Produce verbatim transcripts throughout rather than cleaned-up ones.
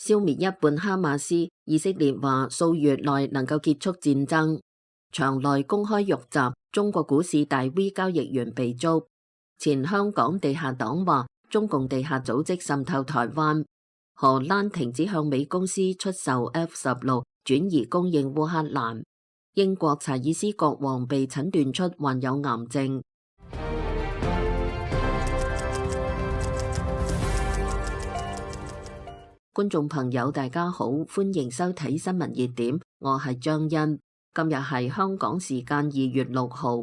消滅一半哈馬斯。以色列話數月內能夠結束戰爭。場內公開遇襲，中國股市大 V 交易員被捉。前香港地下黨話中共地下組織滲透台灣。荷蘭停止向美公司出售 F 十六，轉移供應烏克蘭。英國查爾斯國王被診斷出患有癌症。觀眾朋友大家好，歡迎收睇新聞熱點，我係張欣。今日係香港時間二月六號。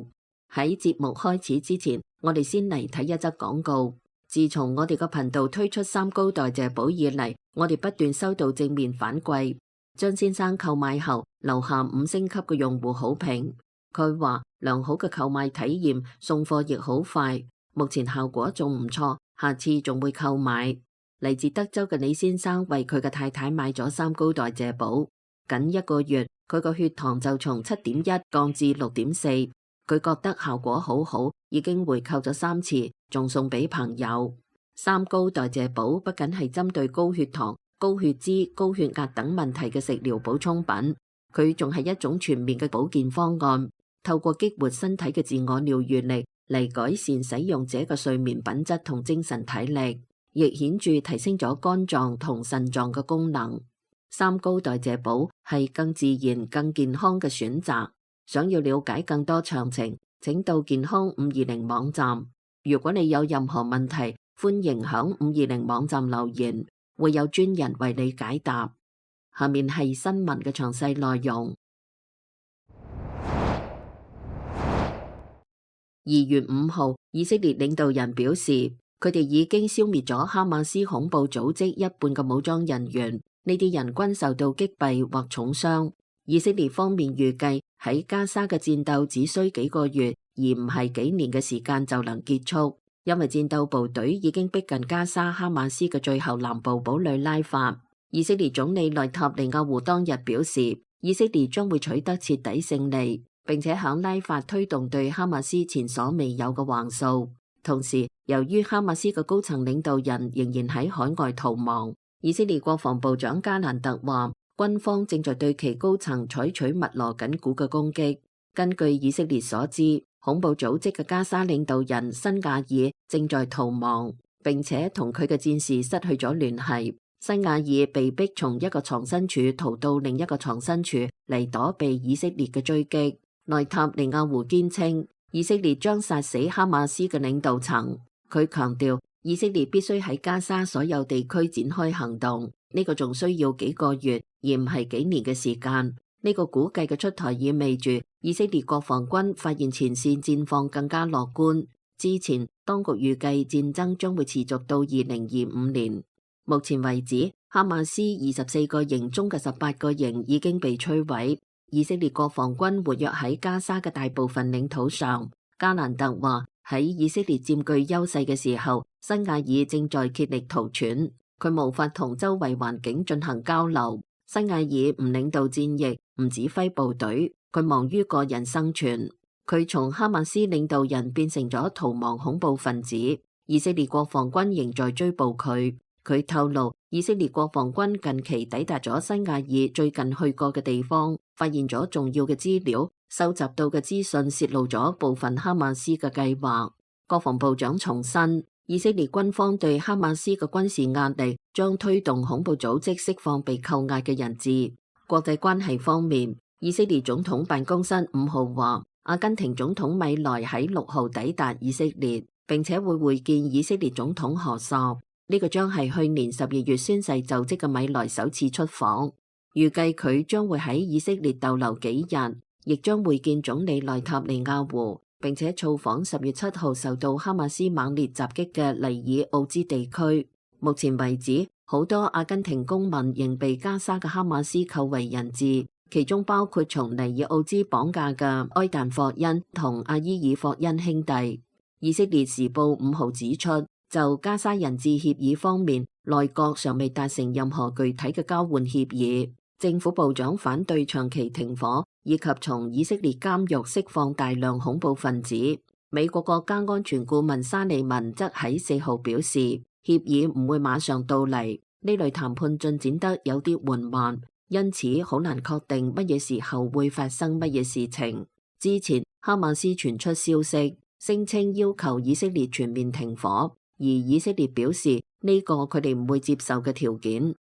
喺節目開始之前，我哋先嚟睇一則廣告。自從我哋個頻道推出三高代謝寶以嚟，我哋不斷收到正面反饋。張先生購買後留下五星級嘅用戶好評，佢話良好嘅購買體驗，送貨亦好快，目前效果仲唔錯，下次仲會購買。嚟自德州嘅李先生為佢嘅太太買咗三高代謝寶，僅一個月佢個血糖就從七點一降至六點四，佢覺得效果好好，已經回購咗三次，仲送俾朋友。三高代謝寶不僅係針對高血糖、高血脂、高血壓等問題嘅食療補充品，佢仲係一種全面嘅保健方案，透過激活身體嘅自我療癒力嚟改善使用者嘅睡眠品質同精神體力，亦顯著提升咗肝臟同腎臟嘅功能。三高代謝寶係更自然、更健康嘅選擇。想要了解更多詳情，請到健康五二零網站。如果你有任何問題，歡迎響五二零網站留言，會有專人為你解答。下面係新聞嘅詳細內容。二月五號，以色列領導人表示，佢哋已經消滅咗哈馬斯恐怖組織一半嘅武裝人員，呢啲人均受到擊斃或重傷。以色列方面預計喺加沙嘅戰鬥只需幾個月，而唔係幾年嘅時間就能結束，因為戰鬥部隊已經逼近加沙哈馬斯嘅最後南部堡壘拉法。以色列總理內塔尼亞胡當日表示，以色列將會取得徹底勝利，並且響拉法推動對哈馬斯前所未有嘅橫掃。同時，由於哈馬斯嘅高層領導人仍然喺海外逃亡，以色列國防部長加蘭特話，軍方正在對其高層採取密鑼緊鼓嘅攻擊。根據以色列所知，恐怖組織嘅加沙領導人辛亞爾正在逃亡，並且同佢嘅戰士失去咗聯繫。辛亞爾被逼從一個藏身處逃到另一個藏身處嚟躲避以色列嘅追擊。內塔尼亞胡堅稱，以色列將殺死哈馬斯嘅領導層。佢強調，以色列必須喺加沙所有地區展開行動，呢個仲需要幾個月，而唔係幾年嘅時間。呢個估計嘅出台意味住以色列國防軍發現前線戰況更加樂觀。之前當局預計戰爭將會持續到二零二五年。目前為止，哈馬斯二十四個營中嘅十八個營已經被摧毀。以色列國防軍活躍喺加沙嘅大部分領土上。加蘭特話，喺以色列佔據優勢嘅時候，辛亞爾正在竭力逃竄，佢無法同周圍環境進行交流。辛亞爾唔領導戰役，唔指揮部隊，佢忙於個人生存。佢從哈馬斯領導人變成咗逃亡恐怖分子。以色列國防軍仍在追捕佢。佢透露，以色列國防軍近期抵達咗辛亞爾最近去過嘅地方，發現咗重要嘅資料，收集到嘅資訊泄露咗部分哈馬斯嘅計劃。國防部長重申，以色列軍方對哈馬斯嘅軍事壓力將推動恐怖組織釋放被扣押嘅人質。國際關係方面，以色列總統辦公室五號話，阿根廷總統米萊喺六號抵達以色列，並且會會見以色列總統何薩。呢個將係去年十二月宣誓就職嘅米萊首次出訪，預計佢將會喺以色列逗留幾日，亦將會見總理內塔尼亞胡，並且造訪十月七號受到哈馬斯猛烈襲擊嘅尼爾奧茲地區。目前為止，好多阿根廷公民仍被加沙嘅哈馬斯扣為人質，其中包括從尼爾奧茲綁架嘅埃旦霍恩同阿伊爾霍恩兄弟。以色列時報五號指出，就加沙人質協議方面，內閣尚未達成任何具體嘅交換協議。政府部長反對長期停火，以及從以色列監獄釋放大量恐怖分子。美國國家安全顧問沙利文則喺四號表示，協議唔會馬上到嚟，呢類談判進展得有啲緩慢，因此好難確定乜嘢時候會發生乜嘢事情。之前哈馬斯傳出消息，聲稱要求以色列全面停火，而以色列表示呢個佢哋唔會接受嘅條件。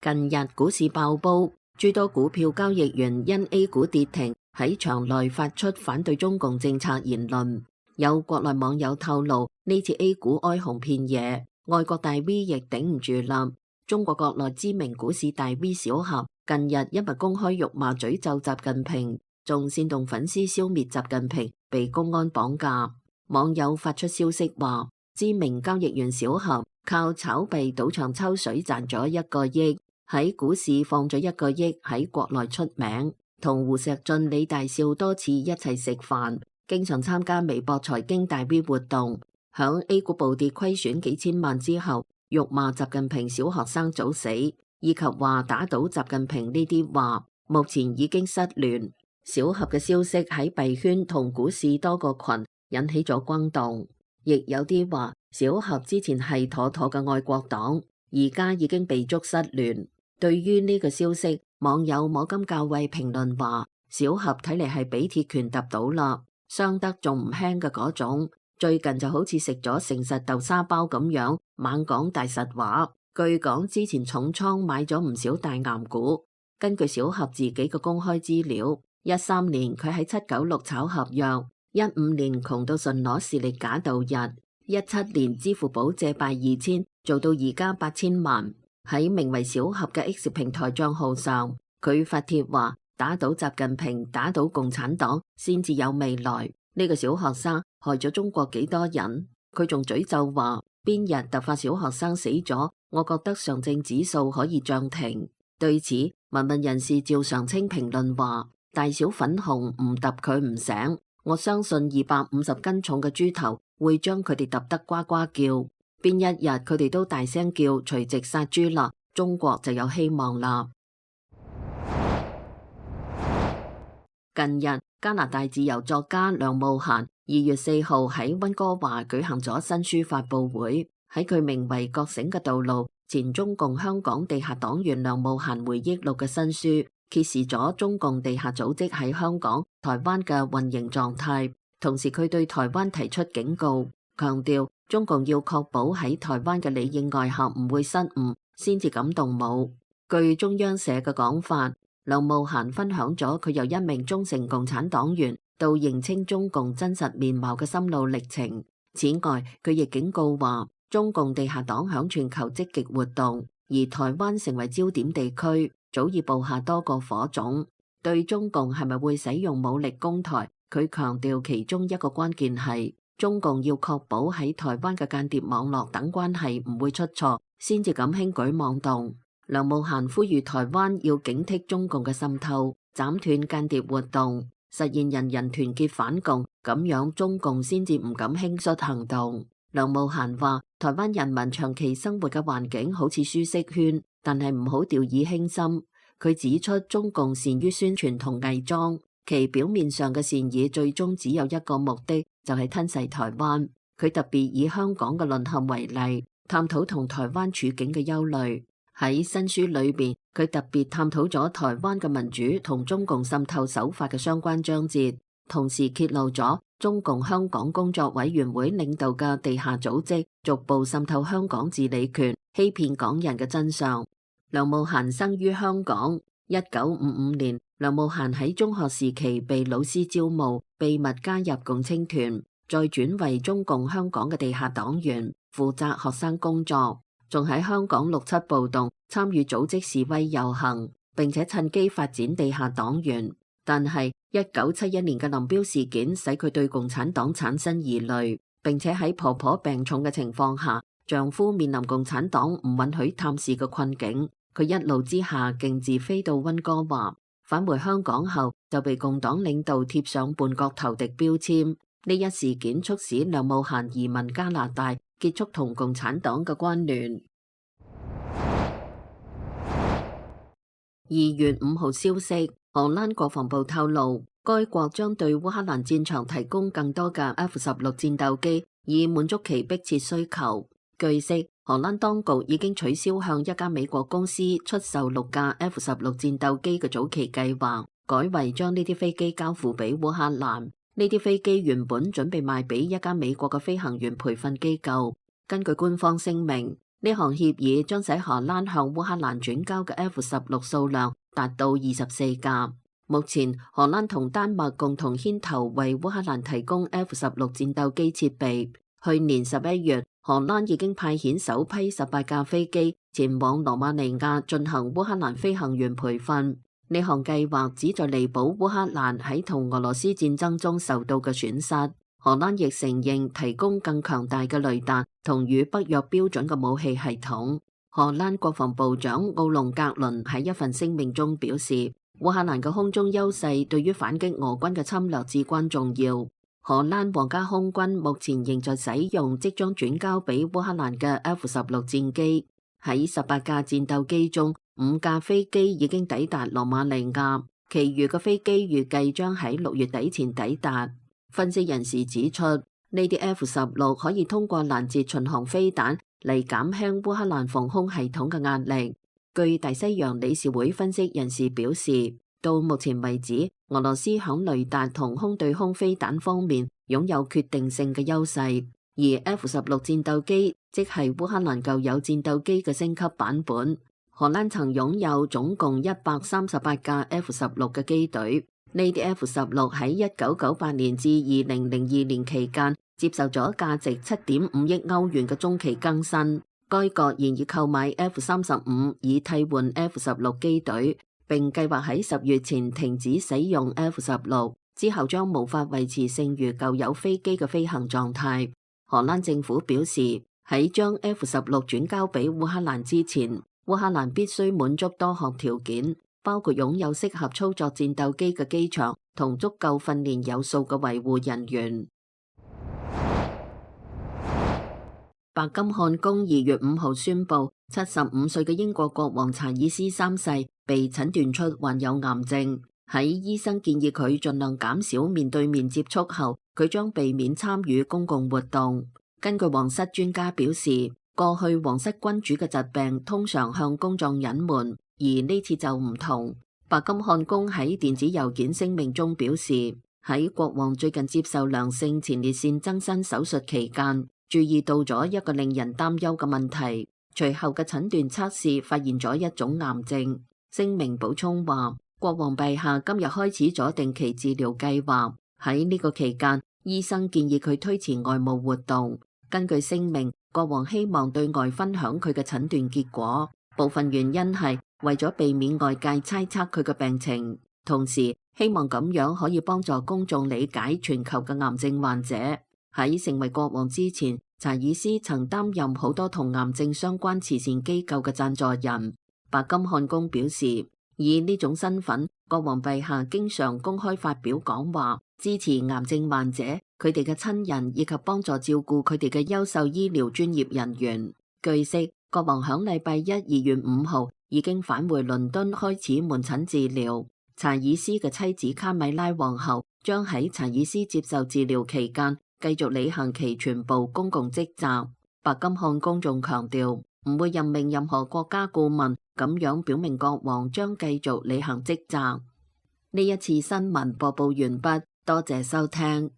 近日股市爆煲，諸多股票交易員因 A 股跌停喺場內發出反對中共政策言論。有國內網友透露，呢次 A 股哀鴻遍野，外國大 V 亦頂唔住啦。中國國內知名股市大 V 小俠近日因為公開辱罵詛咒習近平，仲煽動粉絲消滅習近平，被公安綁架。網友發出消息話，知名交易員小俠靠炒幣賭場抽水賺咗一個億，喺股市放咗一個億，喺國內出名，同胡錫進、李大少多次一齊食飯，經常參加微博財經大 V 活動。響 A 股暴跌虧損幾千萬之後，辱罵習近平小學生早死，以及話打倒習近平呢啲話，目前已經失聯。小俠嘅消息喺幣圈同股市多個群引起咗轟動，亦有啲話小俠之前係妥妥嘅愛國黨，而家已經被捉失聯。對於呢個消息，網友摸金校尉評論話，小俠睇嚟係俾鐵拳揼到啦，傷得仲唔輕嘅嗰種。最近就好似食咗誠實豆沙包咁樣，猛講大實話。據講之前重倉買咗唔少大岩股。根據小俠自己嘅公開資料，一三年佢喺七九六炒合約，一五年窮到純攞視力假度日，一七年支付寶借貸二千，做到而家八千萬。喺名為小俠嘅 X 平台賬號上，佢發帖話打倒習近平，打倒共產黨先至有未來。呢個小學生害咗中國幾多人？佢仲詛咒話邊日突發小學生死咗，我覺得上證指數可以漲停。對此，文文人士趙常清評論話，大小粉紅唔揼佢唔醒，我相信二百五十斤重嘅豬頭會將佢哋揼得呱呱叫。邊一日佢哋都大聲叫隨即殺豬啦，中國就有希望啦。近日，加拿大自由作家梁慕嫻二月四號喺溫哥華舉行咗新書發佈會，喺佢名為《覺醒嘅道路：前中共香港地下黨員梁慕嫻回憶錄》嘅新書，揭示咗中共地下組織喺香港、台灣嘅運營狀態，同時佢對台灣提出警告，強調中共要確保喺台灣嘅裏應外合唔會失誤，先至敢動武。據中央社嘅講法，梁慕嫻分享咗佢由一名忠誠共產黨員到認清中共真實面貌嘅心路歷程。此外，佢亦警告話，中共地下黨響全球積極活動，而台灣成為焦點地區，早已布下多個火種。對中共係咪會使用武力攻台，佢強調其中一個關鍵係中共要確保喺台灣嘅間諜網絡等關係唔會出錯，先至敢輕舉妄動。梁慕嫻呼籲台灣要警惕中共嘅滲透，斬斷間諜活動，實現人人團結反共，咁樣中共先至唔敢輕率行動。梁慕嫻話，台灣人民長期生活嘅環境好似舒適圈，但係唔好掉以輕心。佢指出，中共善於宣傳同偽裝，其表面上嘅善意最終只有一個目的，就係吞噬台灣。佢特別以香港嘅淪陷為例，探討同台灣處境嘅憂慮。喺新書裏邊，佢特別探討咗台灣嘅民主同中共滲透手法嘅相關章節，同時揭露咗中共香港工作委員會領導嘅地下組織逐步滲透香港治理權，欺騙港人嘅真相。梁慕嫻生於香港，一九五五年，梁慕嫻喺中學時期被老師招募，秘密加入共青團，再轉為中共香港嘅地下黨員，負責學生工作。仲喺香港六七暴動參與組織示威遊行，並且趁機發展地下黨員。但係一九七一年嘅林彪事件使佢對共產黨產生疑慮，並且喺婆婆病重嘅情況下，丈夫面臨共產黨唔允許探視嘅困境，佢一怒之下徑自飛到溫哥華。返回香港後就被共黨領導貼上叛國投敵標籤。呢一事件促使梁慕嫻移民加拿大，結束同共產黨嘅關聯。二月五號消息，荷蘭國防部透露，該國將對烏克蘭戰場提供更多嘅 F 十六戰鬥機以滿足其迫切需求。據悉，荷蘭當局已經取消向一家美國公司出售六架 F 十六戰鬥機嘅早期計劃，改為將呢啲飛機交付俾烏克蘭。呢啲飛機原本準備賣俾一家美國嘅飛行員培訓機構。根據官方聲明，呢項協議將使荷蘭向烏克蘭轉交嘅 F 十六數量達到二十四架。目前，荷蘭同丹麥共同牽頭為烏克蘭提供 F 十六戰鬥機設備。去年十一月，荷蘭已經派遣首批十八架飛機前往羅馬尼亞進行烏克蘭飛行員培訓。呢項計劃旨在彌補烏克蘭喺同俄羅斯戰爭中受到嘅損失。荷蘭亦承認提供更強大嘅雷達同與北約標準嘅武器系統。荷蘭國防部長奧隆格倫喺一份聲明中表示，烏克蘭嘅空中優勢對於反擊俄軍嘅侵略至關重要。荷蘭皇家空軍目前仍在使用即將轉交俾烏克蘭嘅 F 十六戰機。喺十八架戰鬥機中，五架飛機已經抵達羅馬尼亞，其餘嘅飛機預計將喺六月底前抵達。分析人士指出，呢啲 F 十六可以通過攔截巡航飛彈嚟減輕烏克蘭防空系統嘅壓力。據大西洋理事會分析人士表示，到目前為止，俄羅斯響雷達同空對空飛彈方面擁有決定性嘅優勢，而 F 十六戰鬥機即係烏克蘭舊有戰鬥機嘅升級版本。荷蘭曾擁有總共一百三十八架 F 十六嘅機隊。呢啲 F 十六喺一九九八年至二零零二年期間接受咗價值七點五億歐元嘅中期更新。該國現已購買 F 三十五以替換 F 十六機隊，並計劃喺十月前停止使用 F 十六，之後將無法維持剩餘舊有飛機嘅飛行狀態。荷蘭政府表示，喺將 F 十六轉交俾烏克蘭之前，烏克蘭必須滿足多項條件，包括擁有適合操作戰鬥機嘅機場同足夠訓練有素嘅維護人員。白金漢宮二月五號宣布，七十五歲嘅英國國王查爾斯三世被診斷出患有癌症。喺醫生建議佢盡量減少面對面接觸後，佢將避免參與公共活動。根據皇室專家表示，過去皇室君主嘅疾病通常向公眾隱瞞，而呢次就唔同。白金漢宮喺電子郵件聲明中表示，喺國王最近接受良性前列腺增生手術期間，注意到咗一個令人擔憂嘅問題，隨後嘅診斷測試發現咗一種癌症。聲明補充話，國王陛下今日開始咗定期治療計劃，喺呢個期間，醫生建議佢推遲外務活動。根據聲明，國王希望對外分享佢嘅診斷結果，部分原因係為咗避免外界猜測佢嘅病情，同時希望咁樣可以幫助公眾理解全球嘅癌症患者。喺成為國王之前，查爾斯曾擔任好多同癌症相關慈善機構嘅贊助人。白金漢宮表示，以呢種身份，國王陛下經常公開發表講話，支持癌症患者、佢哋嘅親人以及幫助照顧佢哋嘅優秀醫療專業人員。據悉，國王響禮拜一二月五號已經返回倫敦開始門診治療。查爾斯嘅妻子卡米拉皇后將喺查爾斯接受治療期間繼續履行其全部公共職責。白金漢宮仲強調唔會任命任何國家顧問，咁樣表明國王將繼續履行職責。呢一次新聞播報完畢，多謝收聽。